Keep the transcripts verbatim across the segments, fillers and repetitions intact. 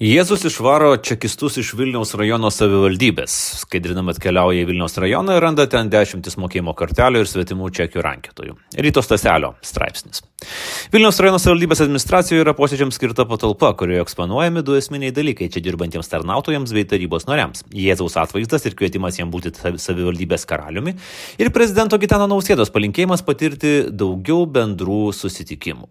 Jėzus išvaro čekistus iš Vilniaus rajono savivaldybės. Skaidrinama atkeliauja į Vilniaus rajoną ir randa ten dešimtis mokėjimo kortelių ir svetimų čekių rankiotojų. Ryto Staselio straipsnis. Vilniaus rajono savivaldybės administracijoje yra posėdžiams skirta patalpa, kurioje eksponuojami du esminiai dalykai čia dirbantiems tarnautojams bei tarybos nariams. Jėzaus atvaizdas ir kvietimas jam būti savivaldybės karaliumi ir prezidento Gitano Nausėdos palinkėjimas patirti daugiau bendrų susitikimų.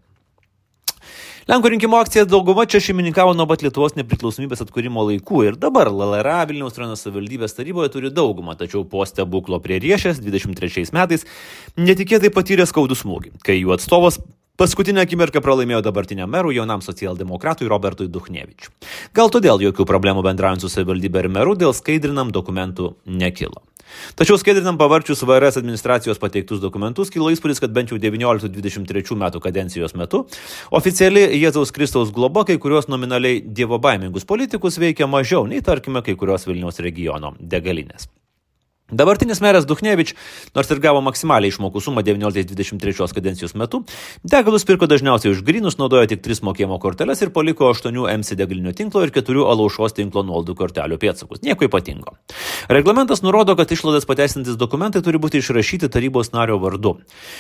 Lenkų rinkimų akcija dauguma čia šeimininkavo nuo pat Lietuvos nepriklausomybės atkūrimo laikų ir dabar L L R A Vilniaus rajono savivaldybės taryboje turi daugumą, tačiau po stebuklo prie Riešės dvidešimt trečiais metais netikėtai patyrė skaudų smūgį, kai jų atstovas paskutinę akimirką pralaimėjo dabartiniam merui jaunam socialdemokratui Robertui Duchnevičiui. Gal todėl jokių problemų bendraujant su savivaldybė ir meru dėl skaidrinam dokumentų nekilo. Tačiau skaidrinam pavarčius V R S administracijos pateiktus dokumentus kilo įspūdis, kad bent jau devynioliktų dvidešimt trečių metų kadencijos metu oficiali Jėzaus Kristaus globa kai kurios nominaliai dievobaimingus politikus veikia mažiau nei, tarkime, kai kurios Vilniaus regiono degalinės. Dabartinis meras Duchnevič, nors ir gavo maksimaliai išmokų sumą devynioliktais dvidešimt trečios kadencijos metu, degalus pirko dažniausiai už grynus, naudojo tik tris mokėjimo korteles ir paliko aštuonių M C degalinių tinklo ir keturių Alaušos tinklo nuolaidų kortelių pėdsakus. Nieko ypatingo. Reglamentas nurodo, kad išlaidas pateisinantis dokumentai turi būti išrašyti tarybos nario vardu.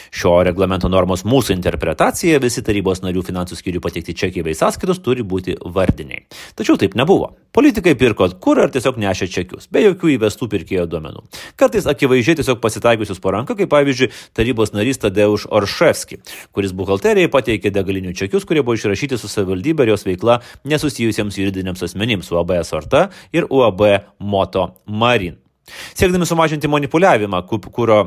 Šio reglamento normos mūsų interpretacija visi tarybos narių finansų skyrių pateikti čekiai bei sąskaitos turi būti vardiniai. Tačiau taip nebuvo. Politikai pirko kurą ar tiesiog nešė čekius, be jokių įvestų pirkėjo duomenų. Kartais akivaizdžiai tiesiog pasitaikiusius po ranką, kaip pavyzdžiui tarybos narys Tadeuš Orševski, kuris buhalterijai pateikė degalinių čekius, kurie buvo išrašyti su savivaldybė ir jos veikla nesusijusiems juridiniams asmenims U A B Sorta ir U A B Moto Marin. Siekdami sumažinti manipuliavimą, kuro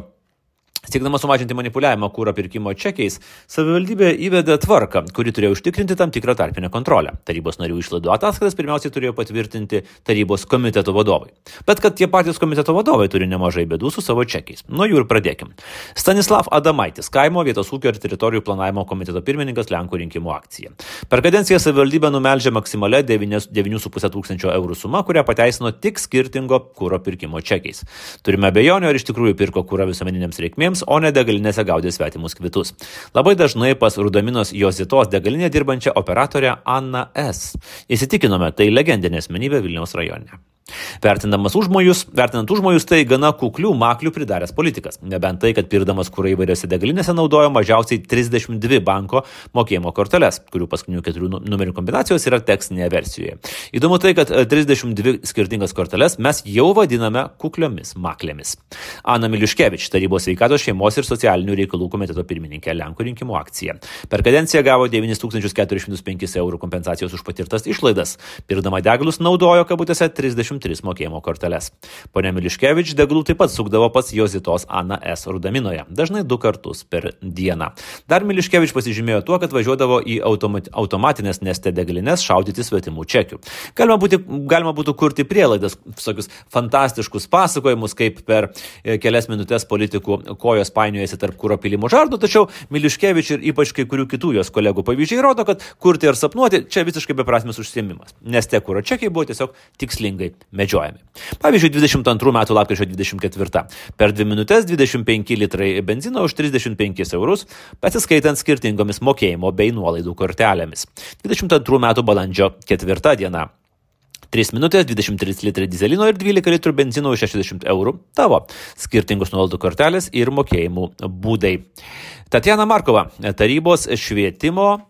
Siekdama sumažinti manipuliavimą kuro pirkimo čekiais, savivaldybė įvedė tvarką, kuri turėjo užtikrinti tam tikrą tarpinę kontrolę. Tarybos narių išlaidų ataskaitas pirmiausiai turėjo patvirtinti tarybos komiteto vadovai. Bet kad tie patys komiteto vadovai turi nemažai bėdų su savo čekiais. Nuo jų ir pradėkim. Stanislav Adamaitis, kaimo vietos ūkio ir teritorijų planavimo komiteto pirmininkas Lenkų rinkimų akcija. Per kadenciją savivaldybė numeldžia maksimalia devynių su puse tūkstančio eurų suma, kurią pateisino tik skirtingo kuro pirkimo čekiais. Turime abejonių, ar iš tikrųjų pirko kurą visuomeninėms reikmėms, o ne degalinėse gaudė svetimus kvitus. Labai dažnai pas Rudaminos Jozitos degalinė dirbančią operatorę Anna S. Įsitikinome, tai legendinė asmenybė Vilniaus rajone. Vertindamas užmojus, vertinant užmojus, tai gana kuklių maklių pridaręs politikas. Nebent tai, kad pirdamas kurą įvairiose degalinėse naudojo mažiausiai trisdešimt dvi banko mokėjimo korteles, kurių paskutinių keturių numerių kombinacijos yra tekstinėje versijoje. Įdomu tai, kad trisdešimt dvi skirtingas korteles mes jau vadiname kukliomis maklėmis. Ana Miliuškevič, tarybos sveikatos, šeimos ir socialinių reikalų komiteto pirmininkė Lenkų rinkimų akcija. Per kadenciją gavo devynis tūkstančius keturis šimtus penkis eurų kompensacijos už patirtas išlaidas. Pirdama degalus naudojo kabutėse trisdešimt tris mokėjimo korteles. Ponia Miliuškevič degalų taip pat sukdavo pas Jozitos Ana S. Rudaminoje, dažnai du kartus per dieną. Dar Miliuškevič pasižymėjo tuo, kad važiuodavo į automat, automatinės Neste degalinės šaudyti svetimų čekių. Galima, būti, galima būtų kurti prielaidas, visokius fantastiškus pasakojimus, kaip per kelias minutės politikų kojos painiojasi tarp kuro pylimo žardų, tačiau Miliuškevič ir ypač kai kurių kitų jos kolegų pavyzdžiai rodo, kad kurti ir sapnuoti čia visiškai beprasmis užsiėmimas. Neste kuro čekiai buvo tiesiog tikslingai medžiojami. Pavyzdžiui, dvidešimt antrų metų lapkričio dvidešimt ketvirta. Per dvi minutės dvidešimt penki litrai benzino už trisdešimt penkis eurus, pasiskaitant skirtingomis mokėjimo bei nuolaidų kortelėmis. dvidešimt antrų metų balandžio ketvirta diena. tris minutės, dvidešimt trys litrai dizelino ir dvylika litrų benzino už šešiasdešimt eurų. Tavo skirtingos nuolaidų kortelės ir mokėjimų būdai. Tatjana Markova, tarybos švietimo,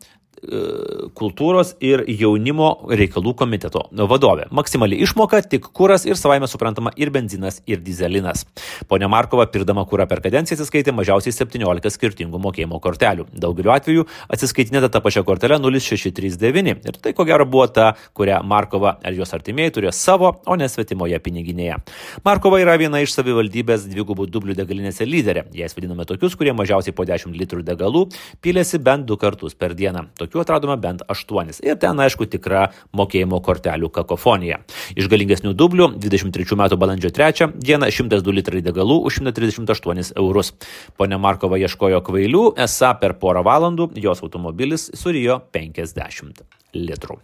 kultūros ir jaunimo reikalų komiteto vadovė. Maksimali išmoka tik kuras ir savaime suprantama ir benzinas ir dizelinas. Ponia Markova pirdama kurą per kadenciją atsiskaitė mažiausiai septyniolika skirtingų mokėjimo kortelių. Daugeliu atveju atsiskaitinėta tą pačią kortelę nulis šeši trys devyni. Ir tai ko gero buvo ta, kurią Markova ar jos artimieji turėjo savo, o ne svetimoje piniginėje. Markova yra viena iš savivaldybės dvigubų dublių degalinėse lyderė. Jas vadiname tokius, kurie mažiausiai po dešimt litrų degalų pylėsi bent du kartus per dieną. Tokių atradome bent aštuonis. Ir ten, aišku, tikra mokėjimo kortelių kakofonija. Iš galingesnių dublių dvidešimt trečių metų balandžio trečią dieną šimtas du litrai degalų už šimtą trisdešimt aštuonis eurus. Ponia Markova ieškojo kvailių, esą per porą valandų jos automobilis surijo penkiasdešimt litrų.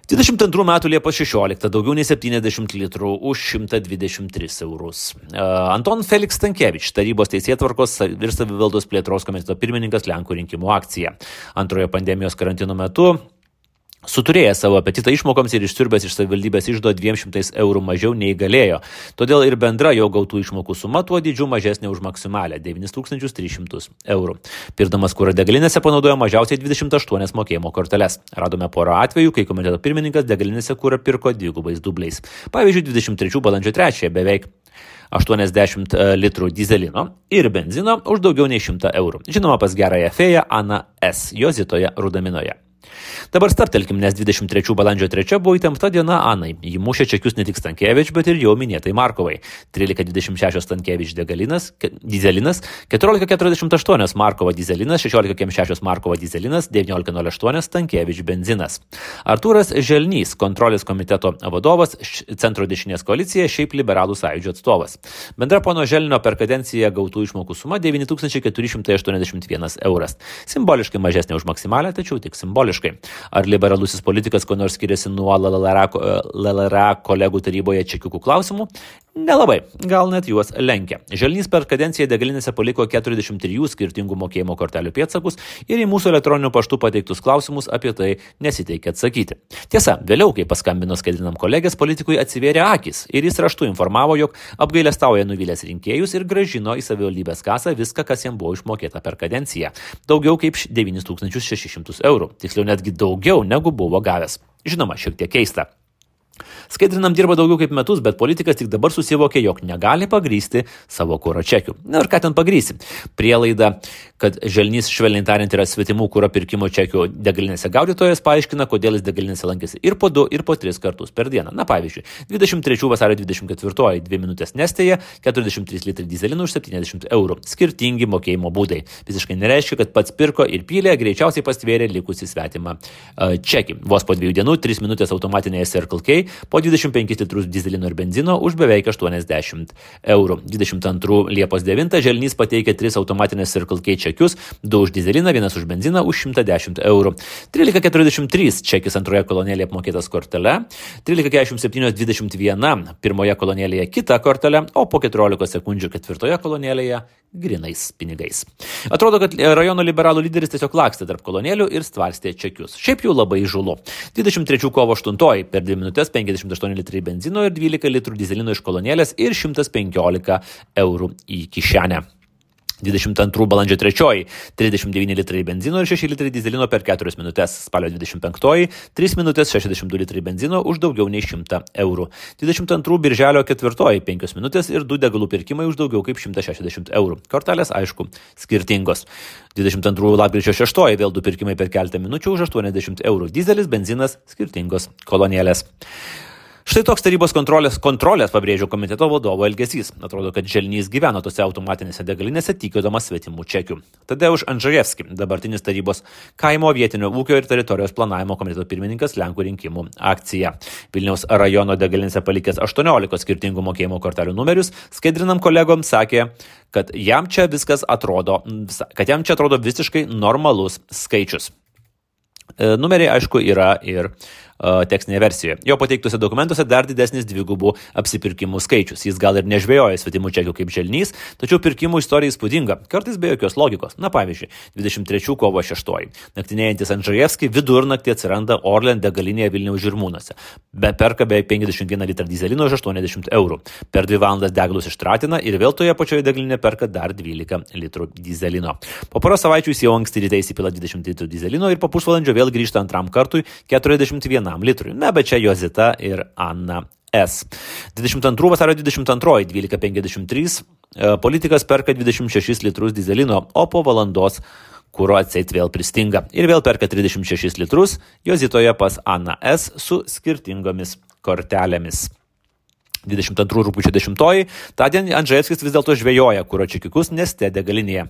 dvidešimt antrų metų Liepos šešioliktą daugiau nei septyniasdešimt litrų už šimtą dvidešimt tris eurus. Uh, Anton Felix Stankevič, tarybos teisėtvarkos ir savivaldos plėtros komiteto pirmininkas Lenkų rinkimų akcija. Antrojo pandemijos karantino metu Suturėjęs savo apetitą išmokoms ir išsiurbęs iš savivaldybės iždo dviem šimtais eurų mažiau nei galėjo. Todėl ir bendra jo gautų išmokų suma tuo dydžiu mažesnė už maksimalę devynis tūkstančius tris šimtus eurų. Pirdamas kurą degalinėse panaudojo mažiausiai dvidešimt aštuonias mokėjimo korteles. Radome porą atvejų, kai komiteto pirmininkas degalinėse kurą pirko dvigubais dubliais. Pavyzdžiui, dvidešimt trečių balandžio trečiąją beveik aštuoniasdešimt litrų dizelino ir benzino už daugiau nei šimtą eurų. Žinoma, pas gerąją fėją Aną S. Jozitoje Rudaminoje. Dabar stabtelkim, nes dvidešimt trečių balandžio trečia buvo įtempta diena Anai. Ji mušė čekius ne tik Stankevič, bet ir jau minėtai Markovai. trylika dvidešimt šešios Stankevič degalinas, dizelinas, keturiolika keturiasdešimt aštuonios Markova dizelinas, šešiolika keturiasdešimt šešios Markova dizelinas, devyniolika nulis aštuoni Stankevič benzinas. Artūras Želnys, kontrolės komiteto vadovas, centro dešinės koalicija, šiaip liberalų sąjūdžio atstovas. Bendra pono Želnio per kadenciją gautų išmokų suma devyni tūkstančiai keturi šimtai aštuoniasdešimt vienas euras. Simboliškai mažesnė už maksimalę, tačiau tik simboliškai. Ar liberalusis politikas ko nors skiriasi nuo L L R A kolegų taryboje čekiukų klausimų? Nelabai, gal net juos lenkia. Želnys per kadenciją degalinėse paliko keturiasdešimt trijų skirtingų mokėjimo kortelių pėdsakus ir į mūsų elektroninių paštų pateiktus klausimus apie tai nesiteikė atsakyti. Tiesa, vėliau, kai paskambino skaidrinam kolegės, politikui atsivėrė akis ir jis raštu informavo, jog apgailestauja nuvylęs rinkėjus ir grąžino į savivaldybės kasą viską, kas jam buvo išmokėta per kadenciją. Daugiau kaip devynis tūkstančius šešis šimtus eurų. Tiksliau netgi daugiau negu buvo gavęs. Žinoma, šiek tiek keista. Skaidrinam dirba daugiau kaip metus, bet politikas tik dabar susivokė, jog negali pagrysti savo kuro čekių. Na ir ką ten pagrysi? Prielaida, kad Želnys švelniai tariant yra svetimų kuro pirkimo čekių degalinėse gaudytojas, paaiškina, kodėl jis degalinėse lankėsi ir po du, ir po tris kartus per dieną. Na pavyzdžiui, dvidešimt trečių vasario dvidešimt ketvirtoji dvi minutės Nestėje, keturiasdešimt trys litrai dizelino už septyniasdešimt eurų. Skirtingi mokėjimo būdai. Visiškai nereiškia, kad pats pirko ir pylė, greičiausiai pastvėrė likusį svetimą uh, čekį. Vos po dviejų dienų, tris minutės automatinėje Circle K, po dvidešimt penkis litrus dizelino ir benzino už beveik aštuoniasdešimt eurų. dvidešimt antrų Liepos devintą Želnys pateikė tris automatinės Circle K čekius, du už dizeliną, vienas už benziną už šimtą dešimt eurų. trylika keturiasdešimt trys čekis antroje kolonėlėje apmokėtas kortele, trylika keturiasdešimt septyni dvidešimt vienas pirmoje kolonėlėje kita kortelė, o po keturiolika sekundžių ketvirtoje kolonėlėje grinais pinigais. Atrodo, kad rajono liberalų lyderis tiesiog lakstė tarp kolonėlių ir stvarstė čekius. Šiaip jau labai žulu. dvidešimt trečių kovo aštuntoji per dvi minutės penkiasdešimt aštuoni litrai benzino ir dvylika litrų dizelino iš kolonėlės ir šimtas penkiolika eurų į kišenę. dvidešimt antrų balandžio trečioji trisdešimt devyni litrai benzino ir šeši litrai dizelino per keturias minutės. Spalio dvidešimt penktoji tris minutės šešiasdešimt du litrai benzino už daugiau nei šimtą eurų. dvidešimt antrų birželio ketvirtoji penkios minutės ir du degalų pirkimai už daugiau kaip šimtą šešiasdešimt eurų. Kortelės, aišku, skirtingos. dvidešimt antrų lapkričio šeštoji vėl du pirkimai per keletą minučių už aštuoniasdešimt eurų. Dizelis, benzinas, skirtingos kolonėlės. Štai toks tarybos kontrolės, kontrolės pabrėžio komiteto vadovo elgesys. Atrodo, kad Želnys gyveno tose automatinėse degalinėse tikėdamas svetimų čekių. Tadeuš Andžejevski, dabartinis tarybos kaimo vietinio ūkio ir teritorijos planavimo komiteto pirmininkas Lenkų rinkimų akcija. Vilniaus rajono degalinėse palikęs aštuoniolika skirtingų mokėjimo kortelių numerius, skaidrinam kolegoms sakė, kad jam čia viskas atrodo, kad jam čia atrodo visiškai normalus skaičius. Numeriai, aišku, yra ir tekstinėje versijoje. Jo pateiktose dokumentuose dar didesnis dvigubų apsipirkimų skaičius. Jis gal ir nežvejoja svetimų čekių kaip Želnys, tačiau pirkimų istorija įspūdinga, kartais be jokios logikos. Na pavyzdžiui, dvidešimt trečių kovo šeštoji Naktinėjantis Andžejevski vidurnaktį atsiranda Orlen degalinėje Vilniaus Žirmūnuose. Be perka beveik penkiasdešimt vieną litrą dizelino už aštuoniasdešimt eurų. Per dvi valandas degalus ištratina ir vėl toje pačioje degalinėje perka dar dvylika litrų dizelino. Po poros savaičių jis jau anksti ryte įsipila dvidešimt litrų dizelino ir po pusvalandžio vėl grįžta antram kartui keturiasdešimt vienam litrui. Na, bet čia Jozita ir Ana S. dvidešimt antrų vasario dvidešimt antroji dvylika penkiasdešimt trys politikas perka dvidešimt šešis litrus dizelino, o po valandos kuro atseit vėl pristinga. Ir vėl perka trisdešimt šešis litrus Jozitoje pas Ana S su skirtingomis kortelėmis. dvidešimt antrų rugpjūčio dešimtoji tądien Andžejevskis vis dėlto žvejoja kuro čekiukus Neste degalinėje.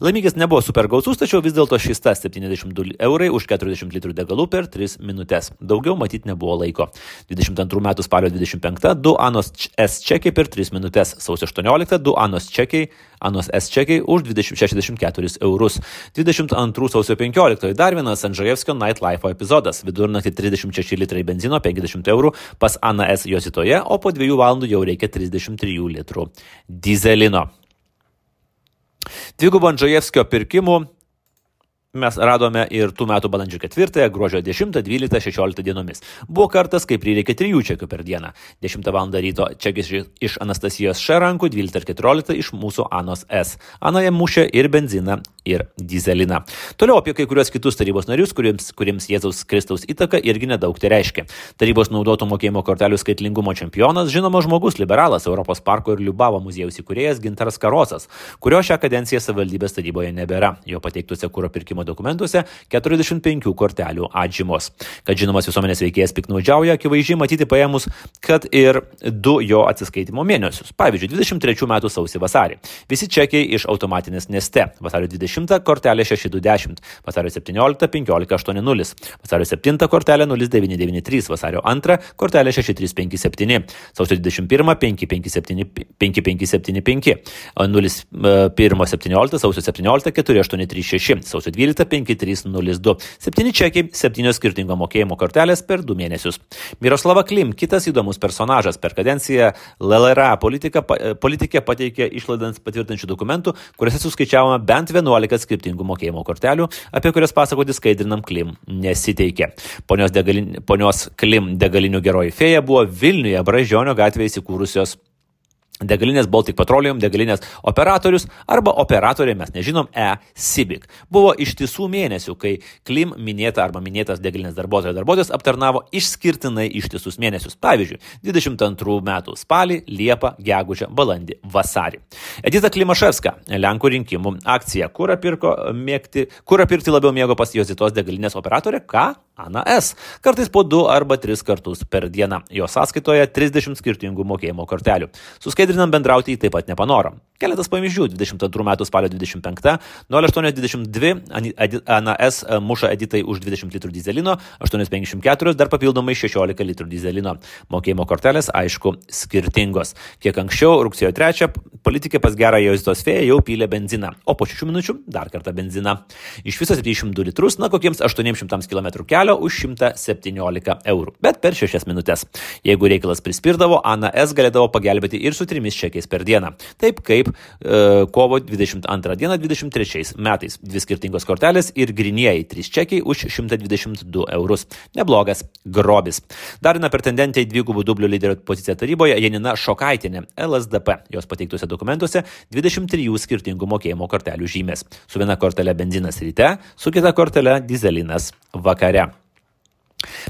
Laimikis nebuvo super gausus, tačiau vis dėlto šis tas septyniasdešimt du eurai už keturiasdešimt litrų degalų per tris minutės. Daugiau matyti nebuvo laiko. dvidešimt antrų metų spalio dvidešimt penktą du Anos S čekiai per tris minutės. Sausio aštuonioliktą du Anos čekiai, Anos S čekiai už šešiasdešimt keturis eurus. dvidešimt antrų sausio penkioliktoji dar vienas Andžejevskio Nightlife epizodas. Vidurnaktį trisdešimt šeši litrai benzino, penkiasdešimt eurų pas Ana S Jozitoje, o po dviejų valandų jau reikia trisdešimt trijų litrų dizelino. Dvigubo Andžejevskio pirkimų mes radome ir tų metų balandžio ketvirtąją, gruodžio dešimtą, dvyliktą, šešioliktą dienomis. Buvo kartas, kai prireikė trijų čekių per dieną. dešimtą valandą ryto čekis iš Anastasijos Š rankų, dvyliktą ir keturioliktą iš mūsų Anos S. Ana jam mušė ir benziną, ir dizeliną. Toliau apie kai kurios kitus tarybos narius, kuriems, kuriems Jėzaus Kristaus įtaka irgi nedaug tai reiškia. Tarybos naudotų mokėjimo kortelių skaitlingumo čempionas, žinomas žmogus, liberalas, Europos parko ir Liubavo muziejaus įkūrėjas Gintaras Karosas, kurio šią kadenciją savivaldybės taryboje nebėra. Jo pateiktuose kuro pirkimo dokumentuose keturiasdešimt penkių kortelių atžymos. Kad žinomas visuomenės veikėjas piknaudžiauja, akivaizdžiai matyti paėmus, kad ir du jo atsiskaitimo mėnesius. Pavyzdžiui, dvidešimt trečių metų sausį vasarį. Visi čekiai iš automatinės Neste. Vasario dvidešimtą kortelė šeši du dešimt, vasario septynioliktą penkiolika aštuoni nulis, vasario septintą kortelė nulis devyni devyni trys, vasario antrą kortelė šeši trys penki septyni, sausio dvidešimt pirmą penki penki septyni penki penki septyni penki, nulis pirmą septynioliktą, sausio septynioliktą keturi aštuoni trys šeši, sausio dvyliktą penki trys nulis du. Septyni čekiai, septynios skirtingo mokėjimo kortelės per du mėnesius. Miroslava Klim, kitas įdomus personažas, per kadenciją L L R A politika, politikė pateikė išlaidant patvirtinčių dokumentų, kuriuose suskaičiavome bent vienuolika skirtingų mokėjimo kortelių, apie kurias pasakoti skaidrinam Klim nesiteikė. Ponios, degalin, ponios Klim degalinių geroji fėja buvo Vilniuje Brazdžionio gatvėje įsikūrusios degalinės Baltic Petroleum, degalinės operatorius arba operatorė, mes nežinom, E-Civic. Buvo ištisų mėnesių, kai Klim minėta arba minėtas degalinės darbuotojo darbuotojas aptarnavo išskirtinai ištisus mėnesius. Pavyzdžiui, dvidešimt antrų metų spalį, liepą, gegužę, balandį, vasarį. Edita Klimaševska, Lenkų rinkimų akcija, kurą pirko mėgti, kurą pirkti labiau mėgo pas Jozitos degalinės operatorė, ką? Ana S. Kartais po du arba tris kartus per dieną. Jo sąskaitoje trisdešimt skirtingų mokėjimo kortelių. Suskaidrinam bendrauti jį taip pat nepanorom. Keletas pavyzdžių. dvidešimt antrų metų spalio dvidešimt penktą, nulis aštuoni dvidešimt du, Ana S. muša Editai už dvidešimt litrų dizelino, aštuoni penkiasdešimt keturi, dar papildomai šešiolika litrų dizelino. Mokėjimo kortelės, aišku, skirtingos. Kiek anksčiau, rugsėjo trečią, politikė pas gerą Jozitos fėją jau pylė benziną, o po šešių minučių dar kartą benziną. Iš viso septyniasdešimt du litrus, na kokiems aštuoniems šimtams kilometrų kelio už šimtą septyniolika eurų, bet per šešias minutės. Jeigu reikalas prispirdavo, Ana S. galėdavo pagelbėti ir su trimis čekiais per dieną. Taip kaip e, kovo dvidešimt antrą dieną dvidešimt trečiais metais. Dvi skirtingos kortelės ir grynieji trys čekiai už šimtą dvidešimt du eurus. Neblogas grobis. Dar viena pretendentė į dvigubų dublių lyderio poziciją taryboje Janina Šokaitienė, L S D P. Jos pateiktuose dokumentuose dvidešimt trijų skirtingų mokėjimo kortelių žymės. Su viena kortelė benzinas ryte, su kita kortelė dizelinas vakare.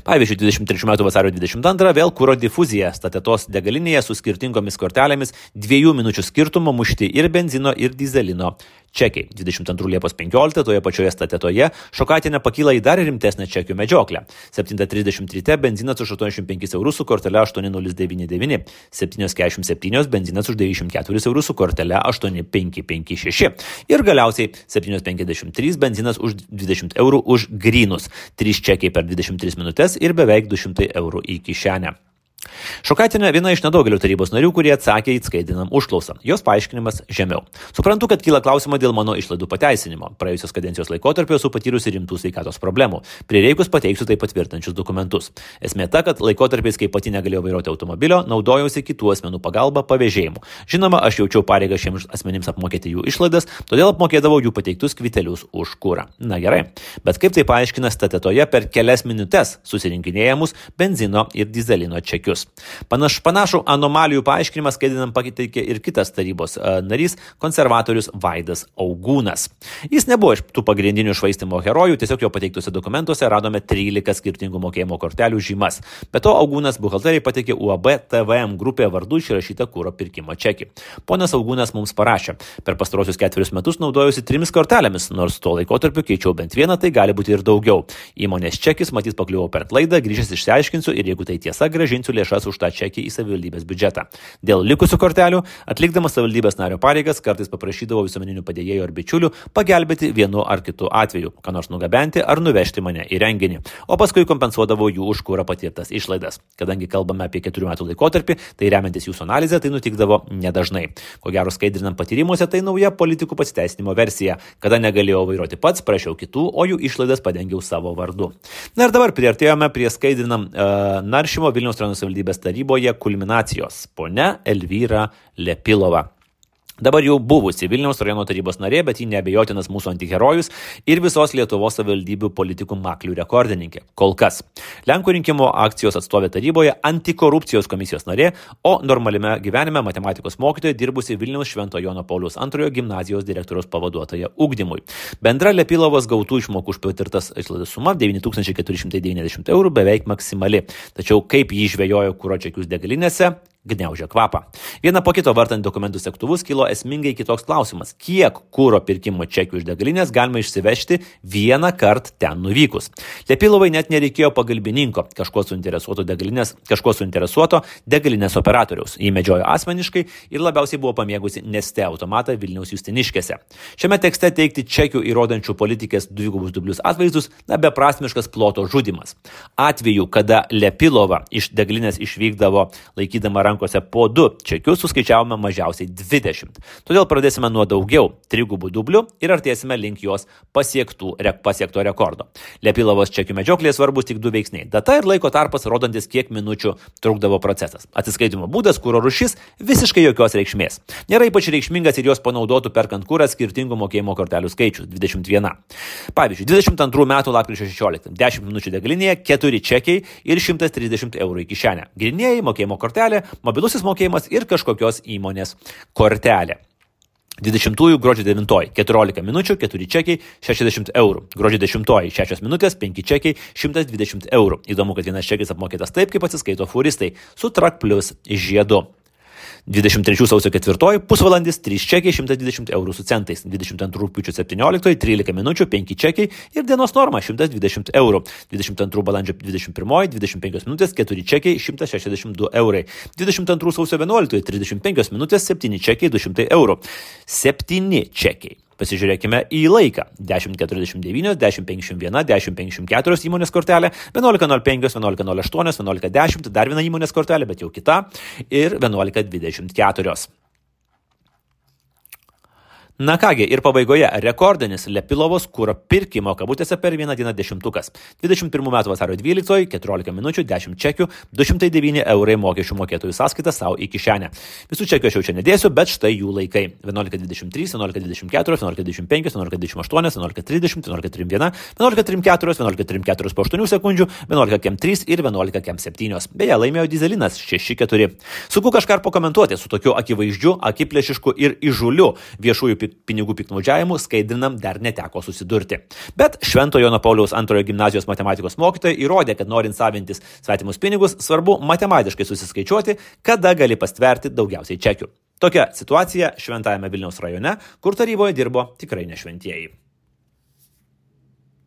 Pavyzdžiui, dvidešimt trečių metų vasario dvidešimt antrą vėl kuro difuzija Statetos degalinėje su skirtingomis kortelėmis dviejų minučių skirtumo mušti ir benzino ir dizelino čekiai. dvidešimt antrų liepos penkioliktą toje pačioje Statetoje Šokaitienė pakyla į dar rimtesnę čekių medžioklę. septynios trisdešimt ryte benzinas už aštuoniasdešimt penkis eurus su kortele aštuoni nulis devyni devyni, septynios keturiasdešimt septynios benzinas už devyniasdešimt keturis eurus su kortele aštuoni penki penki šeši ir galiausiai septynios penkiasdešimt trys benzinas už dvidešimt eurų už grynus, trys čekiai per dvidešimt tris minutės ir beveik du šimtai eurų į kišenę. Šokaitienė viena iš nedaugelio tarybos narių, kurie atsakė į skaidrinam užklausą. Jos paaiškinimas žemiau. Suprantu, kad kyla klausimą dėl mano išlaidų pateisinimo. Praėjusios kadencijos laikotarpio esu patyrusi rimtų sveikatos problemų. Prireikus pateiksiu tai patvirtinančius dokumentus. Esmė ta, kad laikotarpiais, kai pati negalėjau vairuoti automobilio, naudojausi kitų asmenų pagalba pavėžėjimu. Žinoma, aš jaučiau pareigą šiems asmenims apmokėti jų išlaidas, todėl apmokėdavau jų pateiktus kvitelius už kurą. Na gerai, bet kaip tai paaiškina Statetoje per kelias minutes susirinkinėjamus benzino ir dizelino čekius. Panaš, panašų anomalijų paaiškinimą skaidrinam pateikė ir kitas tarybos uh, narys, konservatorius Vaidas Augūnas. Jis nebuvo iš tų pagrindinių švaistimo herojų, tiesiog jo pateiktuose dokumentuose radome trylika skirtingų mokėjimo kortelių žymas. Be to, Augūnas buhalteriai pateikė U A B T V M grupėje vardu išrašytą kuro pirkimo čekį. Ponas Augūnas mums parašė: per pastarosius ketverius metus naudojusi trimis kortelėmis, nors tuo laikotarpiu keičiau bent vieną, tai gali būti ir daugiau. Įmonės čekis matyt pakliuvo per klaidą, grįžęs išsiaiškinsiu ir jeigu tai tiesa, grąžinsiu lėšas už tą čekį į savivaldybės biudžetą. Dėl likusių kortelių, atlikdamas savivaldybės nario pareigas, kartais paprašydavau visuomeninių padėjėjų ar bičiulių pagelbėti vienu ar kitu atveju, ką nors nugabenti ar nuvežti mane į renginį, o paskui kompensuodavau jų už kurą patirtas išlaidas. Kadangi kalbame apie keturių metų laikotarpį, tai remiantis jūsų analizę, tai nutikdavo nedažnai. Ko gero skaidrinam patyrimuose, tai nauja politikų pasiteisinimo versija. Kada negalėjau vairuoti pats, prašiau kitų, o jų išlaidas padengiau savo vardu. Na ir dabar priartėjome prie skaidrinam uh, naršymo Vilniaus rajono savivaldybės taryboje kulminacijos. Ponia Elvyra Lepilova. Dabar jau buvusi Vilniaus rajono tarybos narė, bet ji neabejotinas mūsų antiherojus ir visos Lietuvos savivaldybių politikų maklių rekordininkė. Kol kas. Lenkų rinkimų akcijos atstovė taryboje antikorupcijos komisijos narė, o normaliame gyvenime matematikos mokytoja dirbusi Vilniaus Švento Jono Pauliaus antrojo gimnazijos direktoriaus pavaduotoja ugdymui. Bendra Lepilovos gautų išmokų už patirtas išlaidas suma devyni tūkstančiai keturi šimtai devyniasdešimt eurų beveik maksimali. Tačiau kaip jį žvejojo kuro čekius degalinėse, gniaužia kvapą. Viena po kito vartant dokumentų sektuvus kilo esmingai kitoks klausimas. Kiek kuro pirkimo čekių iš degalinės galima išsivežti vieną kartą ten nuvykus? Lepilovai net nereikėjo pagalbininko, kažko suinteresuoto degalinės, kažko suinteresuoto degalinės operatoriaus. Jį medžiojo asmeniškai ir labiausiai buvo pamėgusi Neste automatą Vilniaus Justiniškėse. Šiame tekste teikti čekių įrodančių politikės dvigubus dublius atvaizdus na beprasmiškas ploto žudimas. Atveju, kada Lepilova iš degalinės išvykdavo laikydama rankose po du čekius, suskaičiavome mažiausiai dvidešimt. Todėl pradėsime nuo daugiau trigubų dublių ir artėsime link jos pasiektų, rek, pasiekto rekordo. Lepilovos čekių medžioklėje svarbus tik du veiksniai. Data ir laiko tarpas, rodantis kiek minučių trukdavo procesas. Atsiskaitimo būdas, kuro rūšis, visiškai jokios reikšmės. Nėra ypač reikšmingas ir jos panaudotų perkant kurą skirtingų mokėjimo kortelių skaičius – dvidešimt viena. Pavyzdžiui, dvidešimt antrų metų lapkričio šešioliktą dešimt minučių degalinėje, keturi čekiai ir šimtas trisdešimt eurų į kišenę. Grynieji, mokėjimo kortelė, mobilusis mokėjimas ir kažkokios įmonės kortelė. dvidešimtųjų gruodžio devintoji keturiolika minučių, keturi čekiai, šešiasdešimt eurų. Gruodžio dešimtoji šešios minutės, penki čekiai, šimtas dvidešimt eurų. Įdomu, kad vienas čekis apmokėtas taip, kaip atsiskaito furistai, su Trak Plus žiedu. dvidešimt trečių sausio ketvirtoji pusvalandis, trys čekiai, šimtas dvidešimt eurų su centais. dvidešimt antrų rugpjūčio septynioliktoji trylika minučių, penki čekiai ir dienos norma šimtas dvidešimt eurų. dvidešimt antrų balandžio dvidešimt pirmoji dvidešimt penkios minutės, keturi čekiai, šimtas šešiasdešimt du eurai. dvidešimt antrų sausio vienuoliktoji trisdešimt penkios minutės, septyni čekiai, du šimtai eurų. septyni čekiai. Pasižiūrėkime į laiką. dešimt keturiasdešimt devyni, dešimt penkiasdešimt vienas, dešimt penkiasdešimt keturios įmonės kortelė, vienuolika nulis penki, vienuolika nulis aštuoni, vienuolika dešimt, dar viena įmonės kortelė, bet jau kita, ir vienuolika dvidešimt keturios. Na kągi, ir pabaigoje rekordinis Lepilovos kuro pirkimo kabutėse per vieną dieną dešimtukas. dvidešimt pirmų metų vasario dvyliktoji, keturiolika minučių, dešimt čekių, du šimtai devyni eurai mokesčių mokėtojų sąskaitą savo į kišenę. Visų čekių aš jau čia nedėsiu, bet štai jų laikai. vienuolika dvidešimt trys, vienuolika dvidešimt keturi, vienuolika dvidešimt penki, vienuolika dvidešimt aštuoni, vienuolika trisdešimt, vienuolika trisdešimt vienas, vienuolika trisdešimt keturi, vienuolika trisdešimt keturi po aštuonių sekundžių, vienuolika trys ir vienuolika septyni. Beje, laimėjo dyzelinas šeši keturi. Sunku kažką pakomentuoti su tokiu akivaizdžiu, akiplėšišku ir įžuliu viešųjų pinigų piktnaudžiavimu skaidrinam dar neteko susidurti. Bet Švento Jono Pauliaus antrojo gimnazijos matematikos mokytojai įrodė, kad norint savintis svetimus pinigus, svarbu matematiškai susiskaičiuoti, kada gali pastverti daugiausiai čekių. Tokia situacija Šventajame Vilniaus rajone, kur taryboje dirbo tikrai ne šventieji.